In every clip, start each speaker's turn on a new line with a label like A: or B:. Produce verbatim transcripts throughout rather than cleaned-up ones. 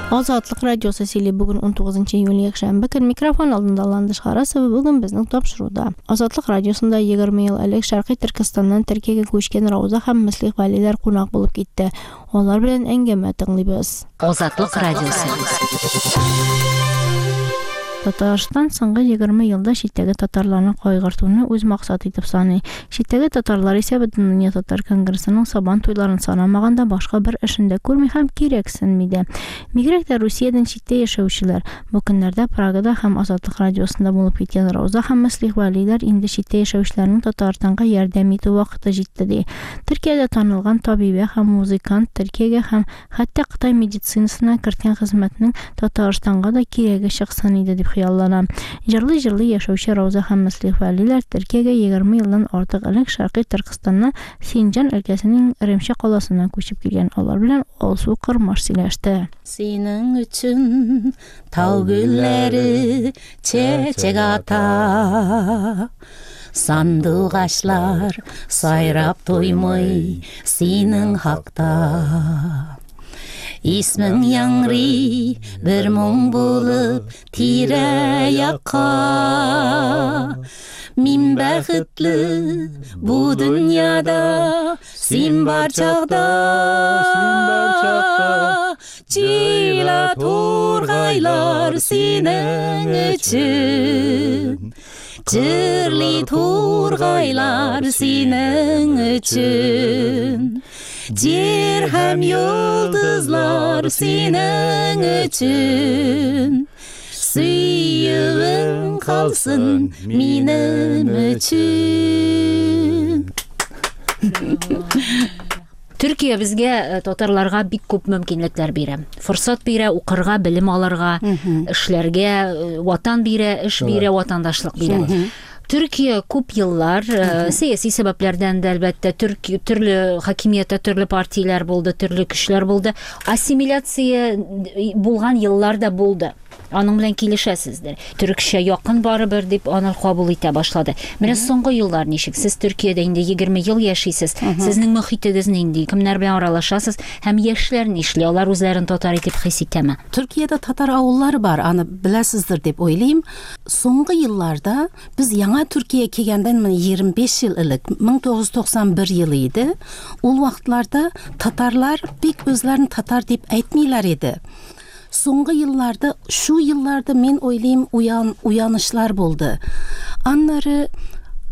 A: Азатлык радиосы сөйли. Бүген унтугызынчы июль, якшәмбе көн. Микрофон алдында Ландыш Харасова. Бүген безнең тапшыруда Азатлык радиосында егерме ел элек Шәркый Төркестаннан Төркиягә күчкән Рауза һәм Мөслих Вәлиләр кунак булып китте. Алар белән әңгәмә тыңлыйбыз.
B: Азатлык радиосы.
A: Татарстан соңгы егерме елда читтәге татарларны кайгыртуны үз максаты итеп саный. Читтәге татарлар исә Бөтендөнья татар конгрессының Сабан туйларын санамаганда башка бер эшен дә күрми һәм кирәксенми дә. Бигрәк тә Русиядән читтә яшәүчеләр. Бу көннәрдә Прагада һәм Азатлык радиосында булып киткән Рауза һәм Мөслих Вәлиләр инде читтә яшәүчеләрнең Татарстанга ярдәм итү вакыты җитте ди. Төркиядә танылган табибә һәм музыкант Төркиягә һәм хәтта Кытай медицинасына керткән хезмәтнең Татарстанга да кирәге чыксын иде дип хыяллана. Җырлый-җырлый яшәүче Рауза һәм Мөслих Вәлиләр Төркиягә егерме елдан артык элек Шәркый Төркестанның Синҗан өлкәсенең Ремче каласына күчеп килгән. Алар белән Алсу Кырмаш сөйләште.
B: Синең өчен тау гөлләре чәчәк ата. Сандугачлар сайрап туймый синең хакта. Исмең яңгырый бер моң булып тирә-якка. Мин бәхетле бу дөньяда, син бар чакта. Җыйла тургайлар синең өчен. Җырлый тургайлар синең өчен. Җир һәм йолдызлар синең өчен. Сөюең калсын минем өчен.
C: Төркия безгә, э, татарларга бик күп мөмкинлекләр бирә. Форсат бирә, укырга, белем алырга, эшләргә, э, ватан бирә, эш бирә, ватандашлык бирә. Төркия күп еллар, э, сәяси сәбәпләрдән дә әлбәттә, Төрки, төрле хакимияттә төрле партияләр булды, төрле көчләр булды. Ассимиляция булган еллар да булды. Аның белән килешәсездер. Төркчә якын барыбер дип аны кабул итә башлады. Менә соңгы еллар ничек? Сез Төркиядә инде егерме ел яшисез. Сезнең мөхитегез нинди? Кемнәр белән аралашасыз? Һәм яшьләр нишли? Алар үзләрен татар итеп хис итәме?
B: Төркиядә татар авыллары бар, аны беләсездер дип уйлыйм. Соңгы елларда без яңа Төркия килгәндән менә егерме биш ел элек, мең тугыз йөз туксан бер елы иде. Ул вакытларда татарлар бик үзләрен татар дип әйтмиләр иде. Соңгы елларда, шу елларда мин уйлыйм, уян, уянышлар булды. Аннары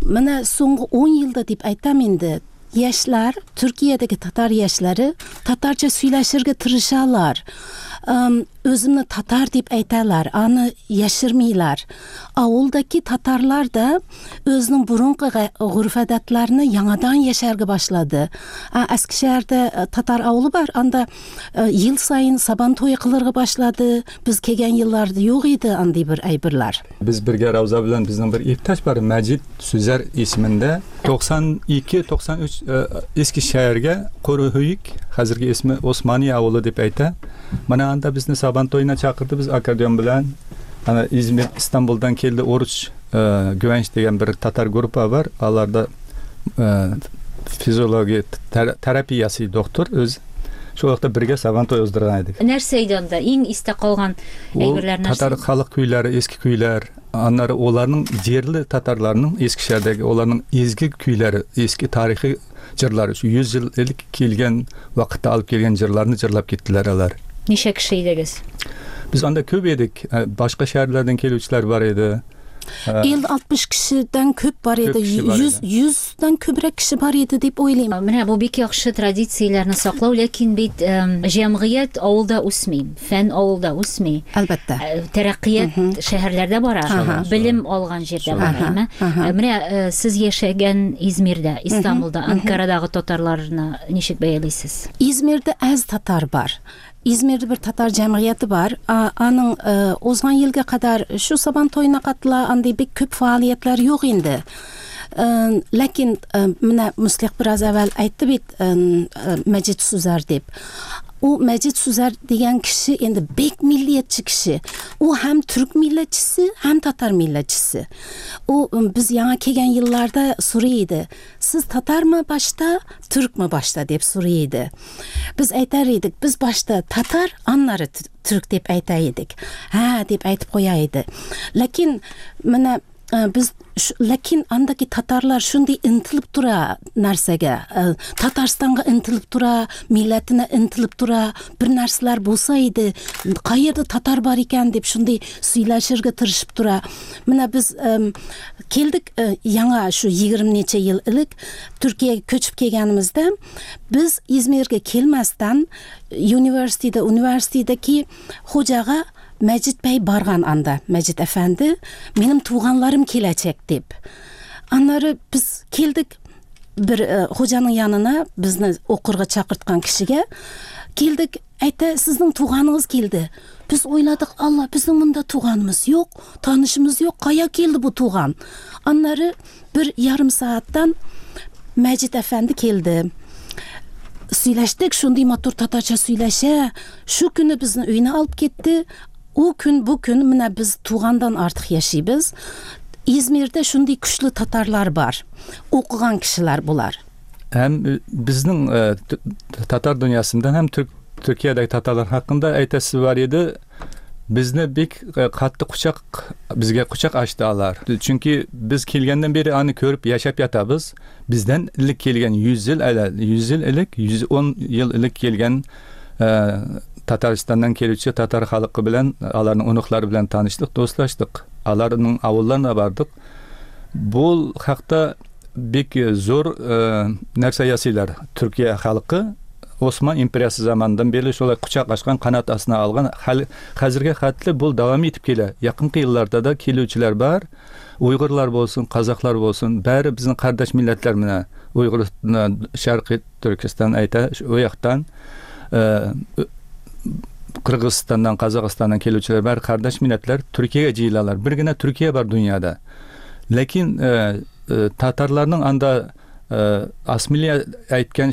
B: менә соңгы ун елда дип әйтәм инде, яшьләр, Төркиядәге татар яшьләре татарча сөйләшергә тырышалар. Эм, үземне татар дип әйтәләр, аны яшермиләр. Авылдагы татарлар да үзенең борынгы гореф-гадәтләрне яңадан яшәргә башлады. Ә, Эскишәһәрдә, э, татар авылы бар, анда, э, ел саен Сабан туе кылырга башлады. Без килгән елларда юк иде андый бер әйберләр.
D: Без бергә Рауза белән безнең бер иптәш бар, Мәҗит Сүзәр исемендә. Туксан ике, туксан өч, э, Эскишәһәргә Куруһуйк, хәзерге исеме Османия авылы дип әйтә. Менә анда безне Сабан туена чакырды, без аккордеон белән. Ана Измир, Истанбулдан килде Оруч, э, Гүвәнч дигән бер татар группа бар. Аларда, э, физиология тер-, терапиясы доктор үз. Шул вакытта бергә Сабан туй уздырган идек.
C: Нәрсә иде анда? Иң истә калган
D: Ул
C: әйберләр нәрсә?
D: Татар халык көйләре, эске көйләр, аннары оларның җирле татарларның Эскишәһәрдәге оларның изге көйләре, эске тарихи җырлары, шу йөз ел элек килгән вакытта алып килгән җырларны җырлап киттеләр алар.
C: Ничә кеше идегез?
D: Без анда күп идек. Э, башка шәһәрләрдән килүчеләр бар иде. Э,
B: Ел алтмыш кешедән күп бар иде.
D: Күп кеше бар
B: Йөз,
D: иде.
B: йөздән күбрәк кеше бар иде дип уйлыйм.
C: Менә бу бик яхшы традицияләрне саклау, ләкин бит, эм, җәмгыять авылда үсми, фән авылда үсми.
B: Әлбәттә.
C: Э, тәрәккыят
B: Мгм.
C: шәһәрләрдә бара,
B: Ага.
C: белем алган җирдә
B: Ага.
C: бара, әйме?
B: Ага.
C: Э, менә, э, сез яшәгән Измирдә, Истанбулда,
B: Мгм.
C: Анкарадагы татарларны ничек бәялисез?
B: Измирдә әз татар бар. Измирдә бер татар җәмгыяте бар. А, аның, э, узган елга кадәр шу Сабан туена катыла, андый бик күп фаалиятләр юк инде. Ләкин менә Муслих бераз әүвәл әйтте бит, Мәҗит Сүзәр дип. У Мәҗит Сүзәр дигән кеше инде бик миллиятче кеше. У һәм түрк милләтчесе, һәм татар милләтчесе. У без яңа килгән елларда сорый иде. Сез татармы башта, түркме башта дип сорый иде. Без әйтәр идек, без башта татар, аннары түрк дип әйтә идек. Һә, дип әйтеп куя иде. Ләкин менә без ләкин андагы татарлар шундый интилеп тора нәрсәгә, Татарстанга интилеп тора, милләтенә интилеп тора, бер нәрсәләр булса иде, кайердә татар бар икән дип шундый сөйләшергә тырышып тора. Менә без килдек яңа шу егерме ничә ел элек Төркиягә күчеп килгәнебездә, без Измиргә килмәстән университетта, университеттәге хуҗага Мәҗит бәй барган анда, Мәҗит әфәнде, минем туганларым киләчәк дип. Аннары без килдек бер хуҗаның янына, безне укырга чакырткан кешегә килдек, әйтә, сезнең туганыгыз килде. Без уйладык, Алла, безнең монда туганымыз юк, танышымыз юк, кая килде бу туган? Аннары бер ярым сәгатьтән Мәҗит әфәнде килде. Сөйләштек, шундый матур татарча сөйләшә. Шу көне безне өенә алып китте. У көн, бу көн менә без тугандан артык яшибез. Измирдә шундый көчле татарлар бар. Укыган кешеләр булар.
D: Һәм безнең татар дөньясында һәм Төркиядәге татарлар хакында әйтәсе бар иде. Безне бик катты кочак, безгә кочак ачты алар. Чөнки без килгәннән бире аны күреп яшәп ятабыз. Бездән элек килгән йөз ел әле, йөз ел элек, йөз ун ел элек килгән Татарстаннан килүче татар халкы белән, аларның оныклары белән таныштык, дуслаштык. Аларның авылларына бардык. Бу хакта бик зур нәрсә ясыйлар. Төркия халкы Осман империясы заманындан бери шулай кочак ачкан, канат астына алган. Хәзергә хәтле бу дәвам итеп килә. Якынкы елларда да килүчеләр бар. Уйгырлар булсын, казаклар булсын, бәре безнең кардәш милләтләр менә. Уйгыр, Шәркый Төркестан әйтә, у яктан Кыргызстаннан, Казакстаннан килүчеләр бар, кардәш милләтләр Төркиягә җыелалар. Бер генә Төркия бар дөньяда. Ләкин татарларның анда асмилия әйткән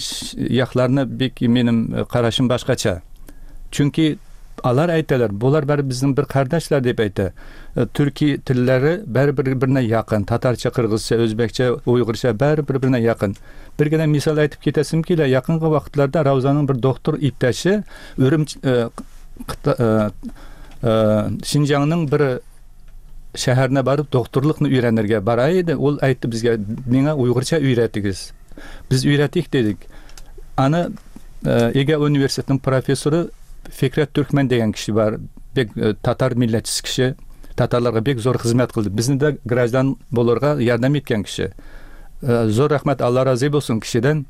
D: якларны бик минем карашым башкача. Чөнки алар әйтәләр, булар бәре безнең бер кардәшләр дип әйтә. Төрки телләре бәре бер-беренә якын. Татарча, кыргызча, үзбәкчә, уйгырча бәре бер-беренә якын. Бер генә мисал әйтеп китәсем килә. Якынгы вакытларда Раузаның бер доктор иптәше Үрем Шинҗаңның бер шәһәренә барып докторлыкны өйрәнергә бара иде. Ул әйтте безгә, миңа уйгырча өйрәтегез. Без өйрәтик дидек. Аны Эге университетының профессоры Фикрет Түркмен дигән кеше бар. Бик татар милләтчесе кеше. Татарларга бик зур хезмәт кылды. Безне дә граждан булырга ярдәм иткән кеше. Зур рәхмәт, Алла разый булсын кешедән.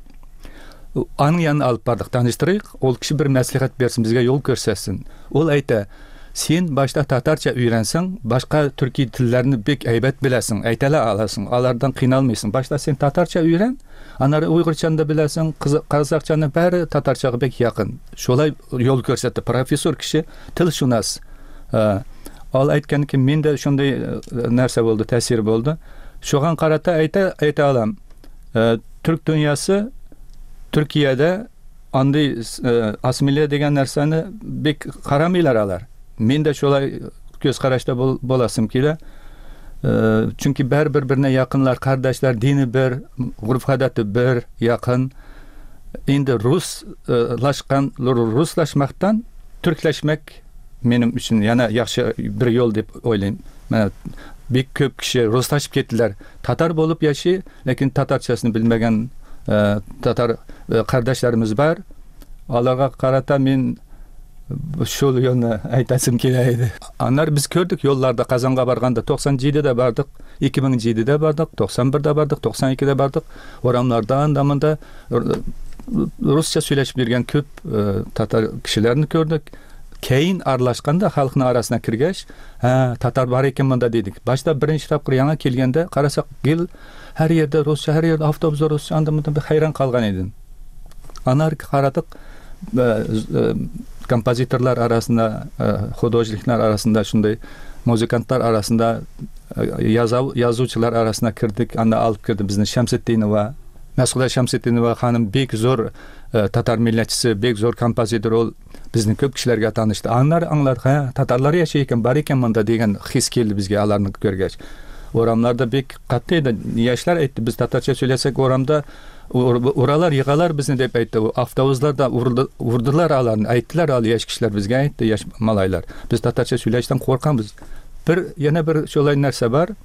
D: Аның янына алып бардык, таныштырыйк. Ул кеше бер мәслихәт берсен, безгә юл күрсәтсен. Ул әйтә, син башта татарча өйрәнсәң, башка төрки телләрне бик әйбәт беләсең, әйтә аласың, алардан кыйналмыйсың. Башта син татарча өйрән, аннары уйгырчаны да беләсең, казакчаны бәре татарчага бик якын. Шулай юл күрсәтте профессор кеше, телшунас. Ал әйткән ки, мин дә шундый нәрсә булды, тәэсир булды. Шуган карата әйтә, әйтә алам. Түрк дөньясы Төркиядә андый асимилия дигән нәрсәне бик карамыйлар алар. Мин дә шулай күз карашта буласым килә. Чөнки бер бер-беренә якынлар, кардәшләр, дине бер, горф-гадәте бер, якын. Инде руслашкан, руслашмактан түркләшмәк минем өчен яна яхшы бер юл дип уйлыйм. Менә бик күп кеше руслашып киттеләр. Татар булып яши, ләкин татарчасын белмәгән татар кардәшләребез бар. Аларга карата мин шул юлны әйтәсем килә иде. Аннары без күрдек юлларда Казанга барганда туксан җидедә бардык, ике мең җидедә бардык, туксан бердә бардык, туксан икедә бардык. Урамнарда анда монда русча сөйләшеп йөргән күп татар кешеләрен күрдек. Кейин аралашканда халыкның арасына кергәч, һә, татар бар икән монда дидек. Башта беренче тапкыр яңа килгәндә карасак, гел һәр йирдә русча, һәр йирдә автобуста русча, анда монда бер хайран калган идем. Аннары карадык, композиторлар арасында, художниклар арасында, шундай музыкантлар арасында Язучылар арасына кердек, анда алып керде безне Шәмсетдинова. Мәсгудә Шәмсетдинова ханым бик зур татар милләтчесе, бик зур композитор, ул безнең күп кешеләргә танышты. Аннары аңладык, һә, татарлар яши икән, бар икән монда дигән хис килде безгә аларны күргәч. Урамнарда бик катты иде. Яшьләр әйтте, без татарча сөйләсәк урамда уралар, егалар безне дип әйтте. Автобусларда урдылар аларны, әйттеләр ал яшь кешеләр безгә әйтте, яшь малайлар. Без татарча сөйләштән куркабыз. Бер яна бер шулай нәрсә бар.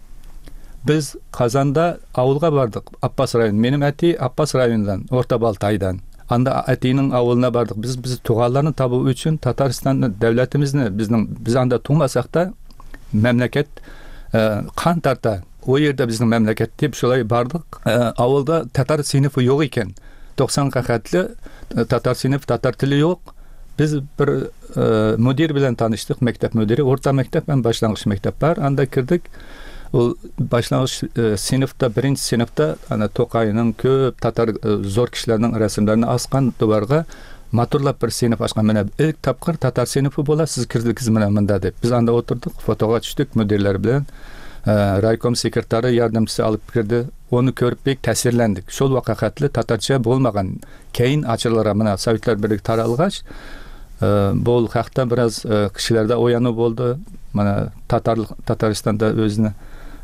D: Без Казанда авылга бардык, Аппас районы. Минем әти Аппас районыннан, Орта Балтайдан. Анда әтинең авылына бардык. Без без туганларны табу өчен Татарстанны, дәүләтебезне, безнең без анда тумасак та мәмләкәт кан тарта. O yerdə bizning мәмләкәт дип шулай бардык. Авылда татар сыйныфы юк икән. туксанга хәтле татар сыйныф, татар теле юк. Без бер мөдир белән таныштык, мәктәп мөдире, урта мәктәп һәм башлангыч мәктәп бар. Анда кердек. Ул башлангыч сыйныфта, беренче сыйныфта ана Тукайның күп татар зур кешеләрнең рәсемнәрен аскан дуварга матурлап бер сыйныф ачкан. Менә ilk тапкыр татар сыйныфы була, сез кердегез менә монда дип. Без анда утырдык, фотога төштек мөдирләр белән. Райком секретары ярдәмчесе алып керде. Оны көрүп бик тәэсирләндек. Шул вакытлы татарча булмаган. Кейин ачылара менә Советлар берлеге таралгач, бу хакта бераз кешеләрдә уяну булды. Менә татар Татарстанда үзенә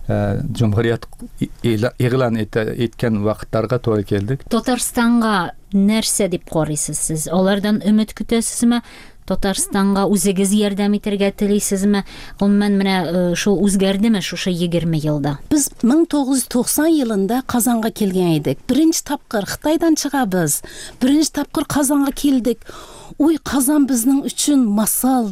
D: җумһурият игълан иткән вакытларга туры килдек.
C: Татарстанга нәрсә дип карыйсыз сез? Алардан өмет көтәсезме? Татарстанга үзегез ярдәм итәргә телисезме? Гомумән менә шул үзгәрдеме шушы егерме елда?
B: Без мең тугыз йөз туксан елында Казанга килгән идек. Беренче тапкыр Хытайдан чыгабыз. Беренче тапкыр Казанга килдек. Уй, Казан безнең өчен масал,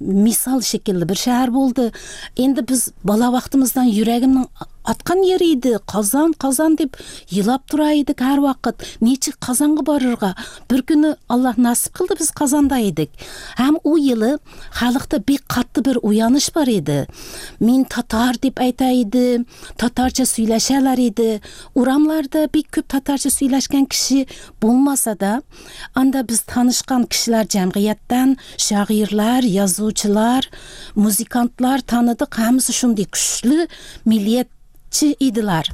B: мисал шикелле бер шәһәр булды. Инде без бала вакытыбыздан йөрәгемнең аткан yeri иде. Казан, Казан дип елап тора идек һәр вакыт. Ничек Казанга барырга? Бер көне Аллаһ насип кылды, без Казанда идек. Һәм у елы халыкта бик катты бер уяныш бар иде. Мин татар дип әйтә иде, татарча сөйләшәләр иде. Урамларда бик күп татарча сөйләшкән кеше булмаса да, анда без танышкан кешеләр җәмгыятьтән, шагыйрьләр, язучылар, музыкантлар таныдык. Һәммәсе шундый көчле миллият иделәр.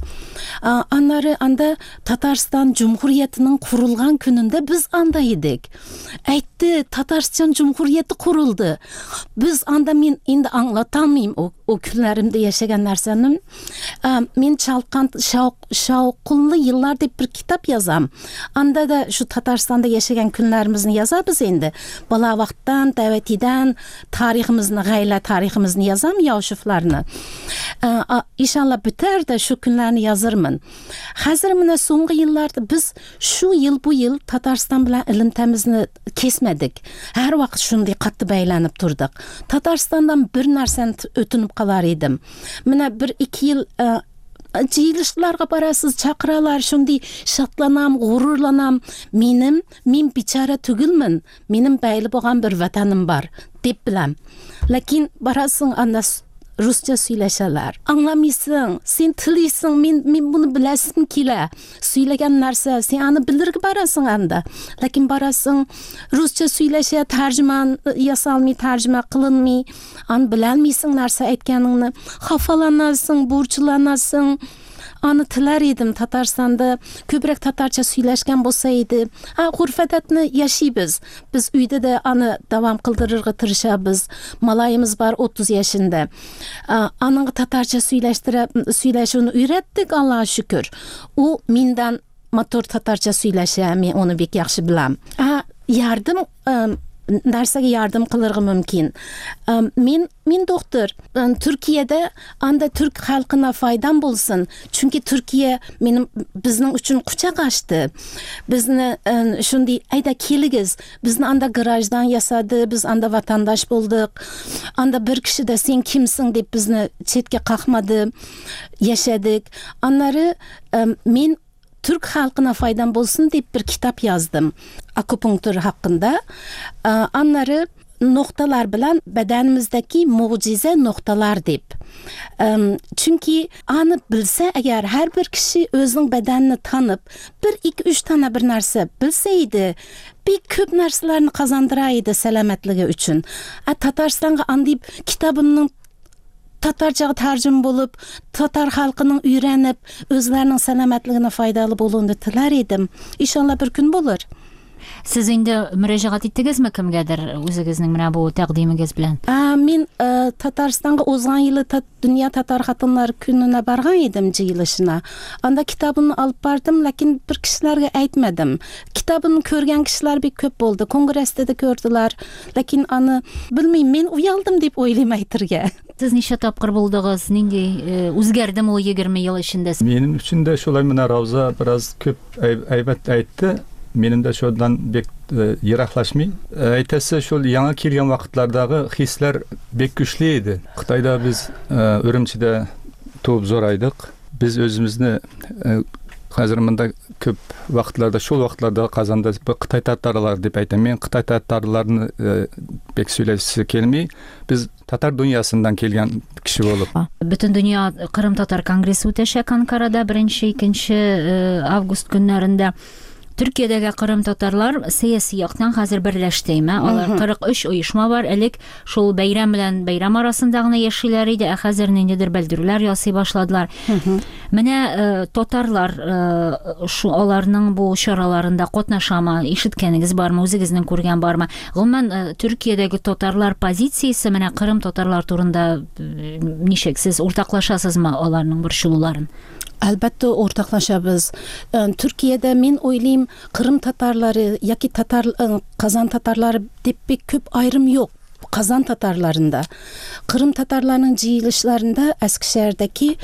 B: Аннары анда Татарстан Cumhuriyetining kurulgan gününde biz anda idik. Әйтте, Татарстан Cumhuriyeti kuruldu. Biz анда мен инде аңлаталмыйм о, о күнләремдә яшәгән нәрсәне. Мен Чалкан шауқынлы еллар дип бер китап язам. Анда да шу Татарстанда яшәгән күнләребезне язабыз инде. Бала вакыттан, дәвәтидән тарихыбызны, гаилә тарихыбызны язам, Яушевларны. Иншалла бетәр дә шу күнләрне язырмын. Хәзер менә соңгы елларда без шу ел бу ел Татарстан белән элемтәмезне кесмәдек. Һәр вакыт шундый катты бәйләнеп тордык. Татарстандан бер нәрсәне өтенеп калар идем. Менә бер ике ел җыелышларга барасыз, чакыралар, шундый шатланам, горурланам. Минем, мин бичара түгелмен, минем бәйле булган бер ватаным бар дип беләм. Ләкин барасың анда Rusça сөйләшәләр. Аңламыйсың, син телисең, мин мин буны беләсем килә. Сөйләгән нәрсә, син аны белергә барасың анда. Ләкин барасың, rusça сөйләшә, тәрҗемә ясалмый, тәрҗемә кылынмый. Аны беләлмисең нәрсә әйткәнеңне. Хафаланасың, борчыланасың. Аны теләр идем Татарстанда күбрәк татарча сөйләшкән булса иде. Ha, горф-гадәтне яшибез. Без өйдә дә аны дәвам кылдырырга тырышабыз. Малаебыз бар утыз яшендә. Аның татарча сөйләштереп, сөйләшүен өйрәттек, Аллаһка шөкер. Ул миндән матур татарча сөйләшә, мин аны бик яхшы беләм. Ha, ярдәм нәрсәгә ярдәм кылырга мөмкин. Мин мин доктор. Төркиядә анда түрк халкына файдам булсын. Чөнки Төркия минем безнең өчен кочак ачты. Безне шундый әйдә килегез. Безне анда граждан ясады, без анда ватандаш булдык. Анда бер кеше дә син кимсең дип безне читкә какмады. Яшәдек. Аннары мин Türk halkına faydam bolsun deyip bir kitap yazdım. Akupunktur hakkında. Anları noktalar bilen bedenimizdeki mucize noktalar deyip. Çünkü anı bilse eğer her bir kişi özünün bedenini tanıp bir iki üç tane bir narsa bilseydi bir köp narsalarını kazandıraydı selametligi üçün. A, Tatarstan'a andayıp kitabımın Tatarçaga tercüme bolup, tatar halkының öğrenip, özlerinin selametligine faydalı boluğunu tilar edim. İnşallah bir gün bulur.
C: Siz indi müracaat ettigizmi kimgadir o'zingizning mana bu taqdimigiz bilan?
B: Men e, Tatarstanga o'zgan yili tat, Dünya Tatar Xatinlar kunine bargan edim jiyilishina. Anda kitabını alıp bardım, lakin bir kishilarga aytmadim. Kitabını ko'rgan kishilar bek ko'p bo'ldi. Kongressda da ko'rdilar. Lakin аны bilmayman, men uyaldim deb o'ylayman aytirga.
C: Siz necha topqir bo'ldingiz? Nendey e, o'zgardimi u yigirma yil ichida?
D: Mening uchun da shulay mana Ravza biroz ko'p aybat aytdi. Benim de şuradan bek e, yıraqlaşmay. Aytası şol yangi kelgan vaqtlardagi hislar bek güçlü edi. Xitoyda biz e, Ürümçide tuğup zoraydık. Biz özümüzni e, hozir mında köp vaqtlarda şol vaqtlarda Qazanda Xitoy tatarlar deb aytaman. Men Xitoy tatarlarini e, bek söylashisi kelmay. Biz Tatar dünyasından kelgan kishi bo'lib.
C: Bütün dünya Qrim Tatar Kongressi o'tashak Ankarada birinchi, ikkinchi avgust kunlarida. Türkiye'dagi Qrim tatarlar siyosiy yoqdan hozir birlashdimi? Ular qirq uch uyushma bor. Элек шул bayram bilan bayram arasında gina yashaylar edi. Hozir nendidir bildiruvlar yasay boshladilar. Mana tatarlar shu ularning bu choralarida qatnashami? Eshitganingiz bormi? O'zingizning ko'rgan bormi? Umuman Türkiye'dagi tatarlar pozitsiyasi mana Qrim tatarlar to'g'risida nechuk siz o'rtoqlashasizmi ularning bir shulularini?
B: Elbette ortaklaşabız. Türkiye'de men o'ylayman Kırım Tatarları yoki Tatar Kazan Tatarları deb bek ko'p ayrım yo'q. Kazan Tatarlarında, Kırım Tatarlarının jiyilishlarında Eskişehir'deki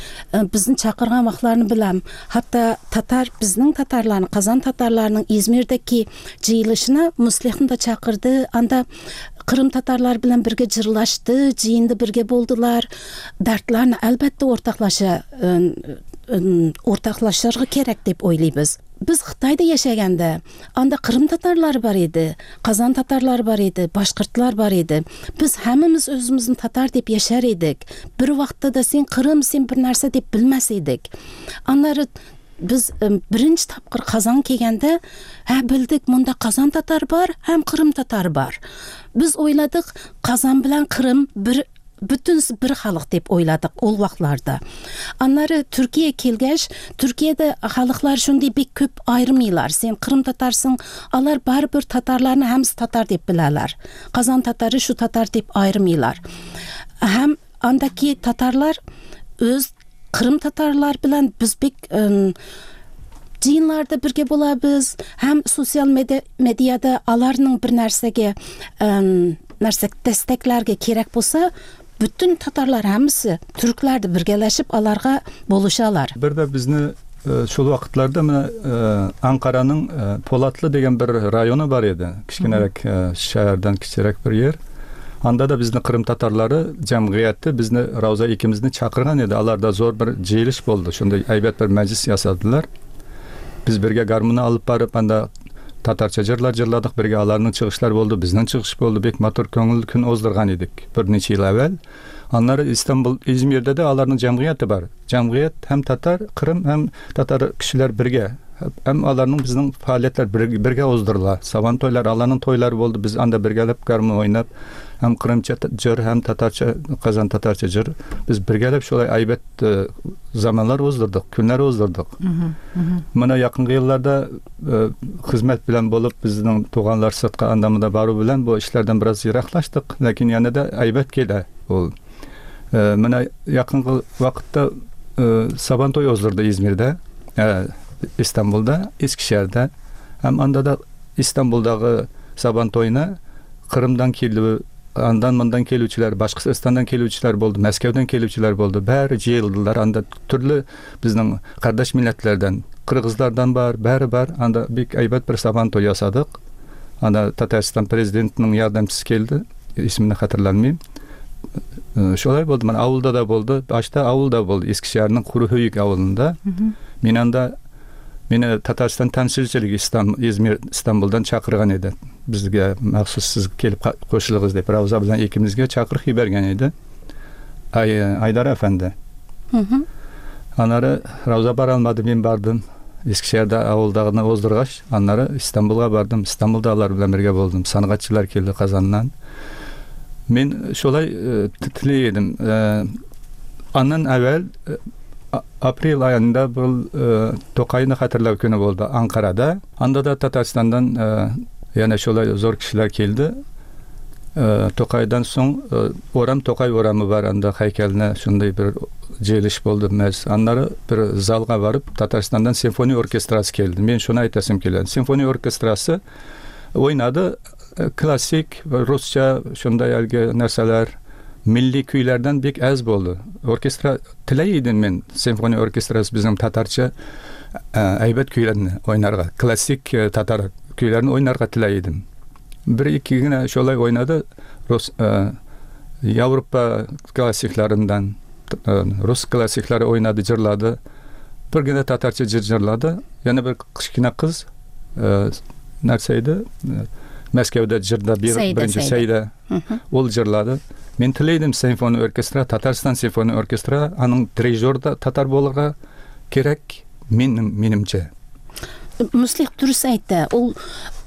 B: bizni chaqirgan vaqtlarını bilam. Hatta Tatar bizning Tatarlarni, Kazan Tatarlarının İzmir'deki jiyilishini Muslihni da chaqirdi. Anda Kırım Tatarlar bilan birga jirlashdi, jiyinda birga bo'ldilar. Dardlarni albatta o'rtoqlasha o'rtoqlashishga kerak deb o'ylaymiz. Biz Xitoyda yashaganda anda Qrim tatarlari bor edi, Qazon tatarlari bor edi, boshqirdlar bor edi. Biz hammamiz o'zimizni tatar deb yashar edik. Bir vaqtda da sen Qrim, sen bir narsa deb bilmas edik. Anlari biz birinchi topqir Qazon kelganda, ha bildik, bunda Qazon tatar bor, ham Qrim tatar bor. Biz o'yladik, Qazon bilan Qrim bir bütün bir xalq deb o'yladik ol vaqtlarda. Anları Türkiye kelgaç, Türkiye'de xalqlar shunday bek ko'p ayirmaylar. Sen Qrim tatarsın, alar baribir tatarlarni hamsi tatar deb bilalar. Qazon tatari shu tatar deb ayirmaylar. Ham andaki tatarlar o'z Qrim tatarlar bilan biz bek jiyinlarda birga bo'lamiz, ham sotsial medyada alarning bir narsaga narsa desteklarga kerak bo'lsa, bütün Tatarlar hammasi türklerdi birgalashib alarga bo'lishalar.
D: Bir de bizni şol vaqtlarda mana Ankara'nın Polatlı degan bir rayonu bor edi. Kichkinaroq shahardan kichikroq bir yer. Anda da bizni Qrim tatarlari jamg'iyati bizni Ravza ikimizni chaqirgan edi. Alarda zo'r bir jiyilish bo'ldi. Shunday aybat bir majlis yasadilar. Biz birga garmoni olib borib anda Tatarça jırlar jırladık, birga alarning chiqishlari bo'ldi, bizning chiqish bo'ldi. Bek motor ko'ngil kun o'zdirgan edik bir necha yil avval. Anları İstanbul, İzmir'de de alarning jamg'iyati bor. Jamg'iyat ham Tatar, Qrim ham Tatar kishilar birga. Ham alarning bizning faoliyatlar birga o'zdiriladi. Saban to'ylar, alarning to'ylari bo'ldi. Biz anda birgalab garmon o'ynab, ham Qrimcha jır, ham Tatarcha, Qazon Tatarcha jır. Biz birgalab shulay aybat zamonlar o'zdirdik, kunlar o'zdirdik. Mana yaqingi yillarda xizmat bilan bo'lib bizning tug'anlar sirtqa andamida boruv bilan bu ishlardan biroz yiroqlashdik, lekin yanada aybat keldi. U mana yaqingi vaqtda Saban to'y o'zdirdi İzmir'da, İstanbul'da, Eskişehir'de. Hem anda da İstanbul'dagi Saban to'yina Qrimdan keldi, andan mandan keluvchilar, Boshqirdistondan keluvchilar bo'ldi, Moskvadan keluvchilar bo'ldi. Bari jiyildilar. Anda turli bizning qardosh millatlardan, qirg'izlardan bor, bari bor. Anda bek aybat bir Saban to'y yasadik. Anda Tatariston prezidentining yordamchisi keldi. Ismini xatirlanmayman. Şolay bo'ldi. Mana ovulda da bo'ldi. Boshda ovulda bo'ldi. Eskişehirning Quruhuyuk ovulida. Men anda meni Tatariston temsilchiligi İstanbul, İzmir, İstanbuldan chaqirgan edi. Bizga maxsus siz kelib qo'shiling'iz deb Ravza bilan ikimizga chaqiriq yuborgan edi. Ay, Aydar efendi. Anları Ravza borolmadi, men bordim. Eskişehir'de ovuldagini o'zdirg'ach, anları İstanbulga bordim. İstanbulda ular bilan birga bo'ldim. San'atchilar keldi Qozondan. Men shulay tilar edim. Аннан әвәл апрель аенда был Тукайны хәтерләү көне булды Анкарада. Анда да Татарстандан яна шулай зур кешеләр килде. Тукайдан соң урам Тукай урамы бар, анда һәйкәленә шундый бер җыелыш булды. Мәс аннары бер залга барып Татарстандан симфония оркестрасы килде. Мин шуны әйтәсем килә. Симфония оркестрасы уйнады классик русча шундай әлге нәрсәләр, милли көйләрдән бик әз булды. Оркестра теләй идем мин, симфония оркестрасы безнең татарча әйбәт көйләрне уйнарга, классик татар көйләрен уйнарга теләй идем. Бер ике генә шулай уйнады рус Европа классикларыннан, рус классиклары уйнады, җырлады. Бер генә татарча җыр җырлады. Яна бер кечкенә кыз нәрсә иде? Мәскәүдә җырда беренче Сәйдә. Ул җырлады. Мин теләйдем симфония оркестра, Татарстан симфония оркестра, аның дирижеры да татар булырга кирәк, минем минемчә.
B: Муслих дөрес әйтә. Ул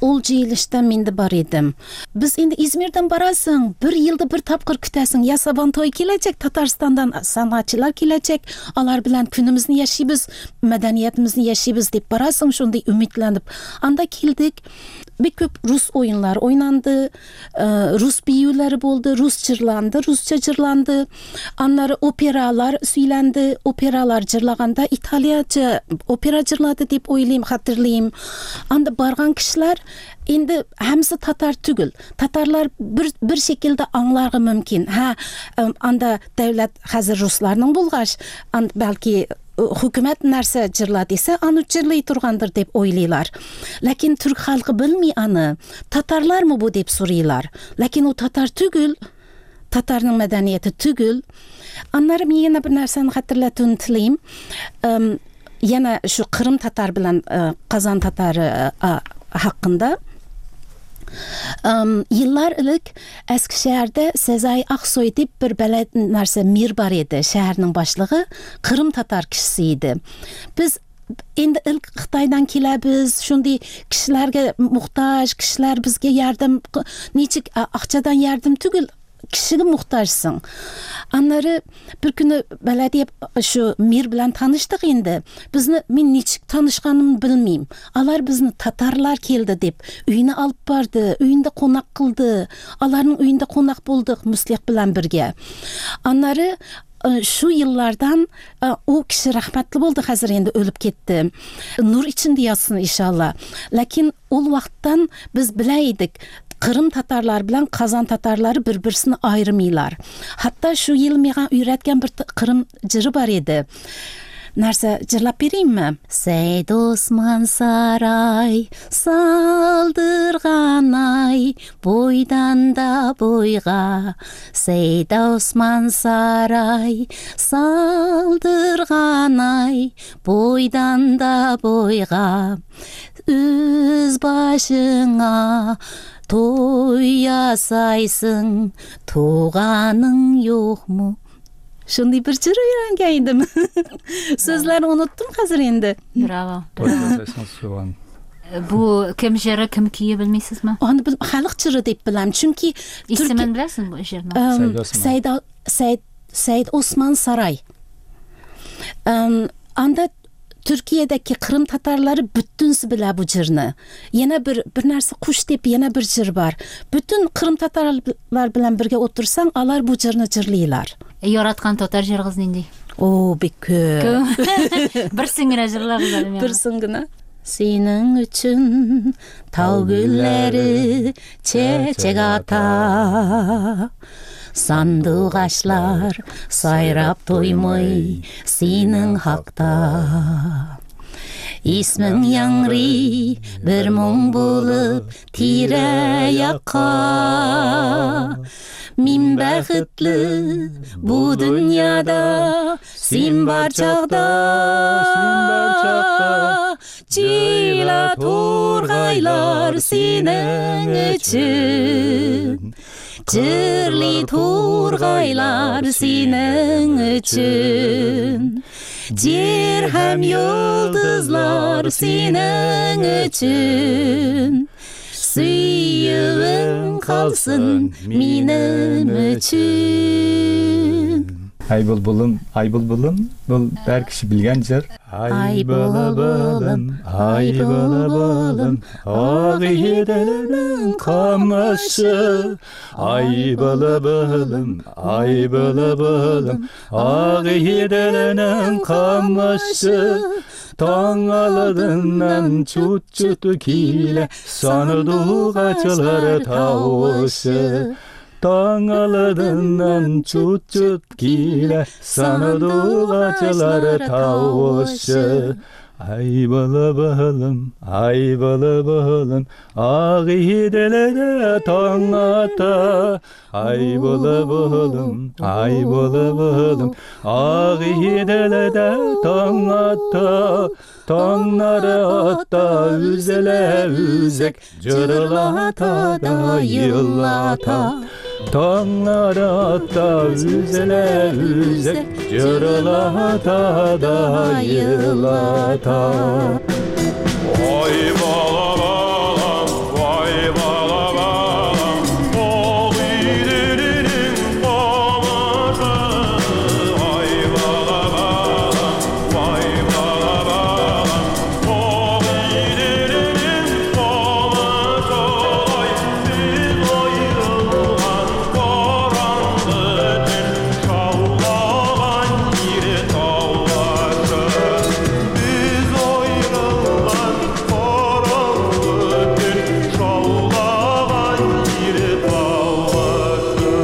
B: ул җыелышта мин дә бар идем. Без инде Измирдән барасың, бер елда бер тапкыр көтәсең. Я Сабантуй киләчәк, Татарстандан сәнгатьчеләр киләчәк, алар белән көнебезне яшибез, мәдәниятебезне яшибез дип барасың, шундый өметләнеп. Анда килдек. Бик күп рус уеннары уйнанды, рус биюләре булды, рус җырланды, русча җырланды. Аннары опералар сөйләнде, опералар җырлаганда италияча опера җырлады дип уйлыйм, хәтерлим. Анда барган кешеләр инде һәммәсе татар түгел. Татарлар бер бер шикелдә аңларга мөмкин. Һә, анда дәүләт хәзер русларның булгач, бәлки хөкүмәт нәрсә җырлады дисә, аны җырлый торгандыр дип уйлыйлар. Ләкин түрк халкы белми аны. Татарлармы бу дип сорыйлар. Ләкин ул татар түгел, татарның мәдәнияте түгел. Аннары мин яна бер нәрсәне хәтерләтүне телим. Яна шу Кырым татар белән Казан татары хакында. Yıllar элек Eskişehir'de Sezai Aksoy дип бер бәләт нәрсә мир бар иде, шәһәрнең башлыгы Кырым татар кешесе иде. Без инде ilk Xitaydan киләбез, шундый кешеләргә мохтаҗ, кешеләр безгә ярдәм, ничек акчадан ярдәм түгел, кешегә мохтаҗсың. Аннары бер көне бәләдия шу мир белән таныштык инде. Безне мин ничек танышканымны белмим. Алар безне татарлар килде дип өенә алып барды, өендә кунак кылды. Аларның өендә кунак булдык Муслих белән бергә. Аннары шу yıllardan o кеше рәхмәтле булды, хәзер инде үлеп китте. Нур эчендә ятсын иншалла. Ләкин ул вакыттан без белә идек, Кырым татарлары белән Казан татарлары бер-берсен айырмыйлар. Хатта шу ел миңа өйрәткән бер Кырым җыры бар иде. Нәрсә җырлап биримме? Сәйд Осман сарай салдырган ай, бойдан да бойга. Сәйд Осман сарай салдырган ай, бойдан да бойга. Үз башыңа той ясайсың, туганың юкмы? Шундый бер җыр өйрәнгән идем. Сүзләрен оныттым хәзер инде.
C: Браво. Бу кем җыры, кем көе белмисезме?
B: Аны халык җыры дип беләм, чөнки
C: исемен беләсеңме бу җырның?
B: Сәйд Сәйд Сәйд Осман Сарай. Анда Türkiye'deki Kırım Tatarları bütünsi bile bu cırını. Yine bir, bir narsa kuş dep yine bir cır var. Bütün Kırım Tatarlar bilen birge otursan alar bu cırını cırlıylar.
C: E, yaratkan Tatar cırgız nindi?
B: Oo, bek köp.
C: Bir singine cırlar.
B: Bir singine. Senin üçün tau gülleri çeçek ata. Sandugaçlar sayrap toymay senin hakta. İsmin yangri bir mum bulup tire yaka. Min baxtli bu dünyada sen bar çağda. Çila turgaylar senin için. Çırlı turgaylar senin için. Yer hem yıldızlar senin için. Suyun kalsın benim için.
D: Ай булбулым, ай булбулым, бул бер кеше белгән җыр. Ай булбулым, ай булбулым, Агыйделнең камышы. Ай булбулым, ай булбулым, Агыйделнең камышы. Таң алдыннан чут-чут килә, сандугачлар тавышы. Таң алдыннан чут-чут килә, сандугачлар тавышы. Ай булбулым, ай булбулым, Агыйделдә таң ата. Ай булбулым, ай булбулым, Агыйделдә таң ата. Таңнары ата, үзелә үзек, җырлата да елата. Таңнары ата, үзелә үзек, җырлата да елата.
E: Ай бала балам, вай бала балам, Агыйделнең камышы. Ай бала балам, вай бала балам, Агыйделнең камышы. Ай, без аерылган караңгы төн, шаулаган җир таулашы. Без аерылган караңгы төн, шаулаган җир таулашы.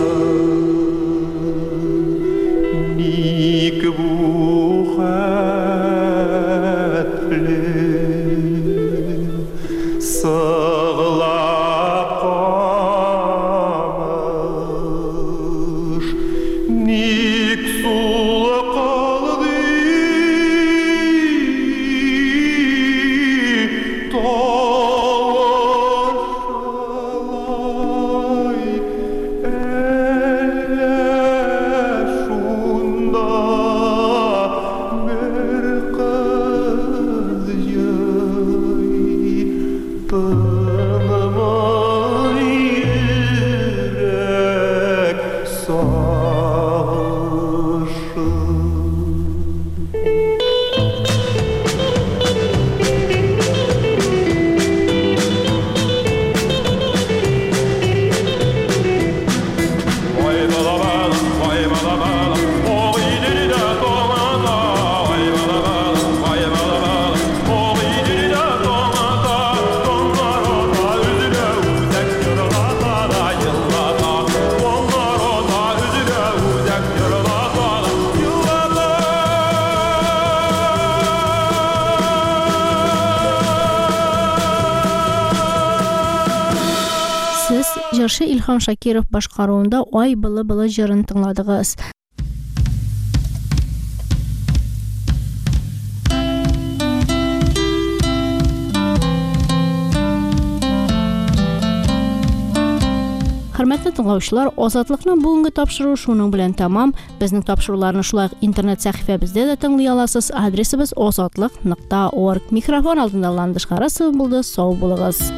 E: Ник бу хәтле сыглап камыш, ник сулкылды тавышлай? Әллә шунда бер кыз елый, тынмый йөрәк сагышы. Vay bala bala, vay bala bala, Agıdel'de taң ата. Vay bala bala, vay bala bala, Agıdel'de taң ата. Таңнар ата, өзелә үзәк, җырлата да елата. Таңнар ата, өзелә үзәк, җырлата да елата.
A: Сез җырчы Илһам Шакиров башкаруында Ай былы-былы җырын тыңладыгыз. Хөрмәтле тыңлаучылар, Азатлыкның бүгенге тапшыруы шуның белән тәмам. Безнең тапшыруларны шулай ук интернет сәхифәбездә дә тыңлый аласыз. Адресыбыз азатлык нокта орг. Микрофон алдында Ландыш Харасова булды. Сау булыгыз.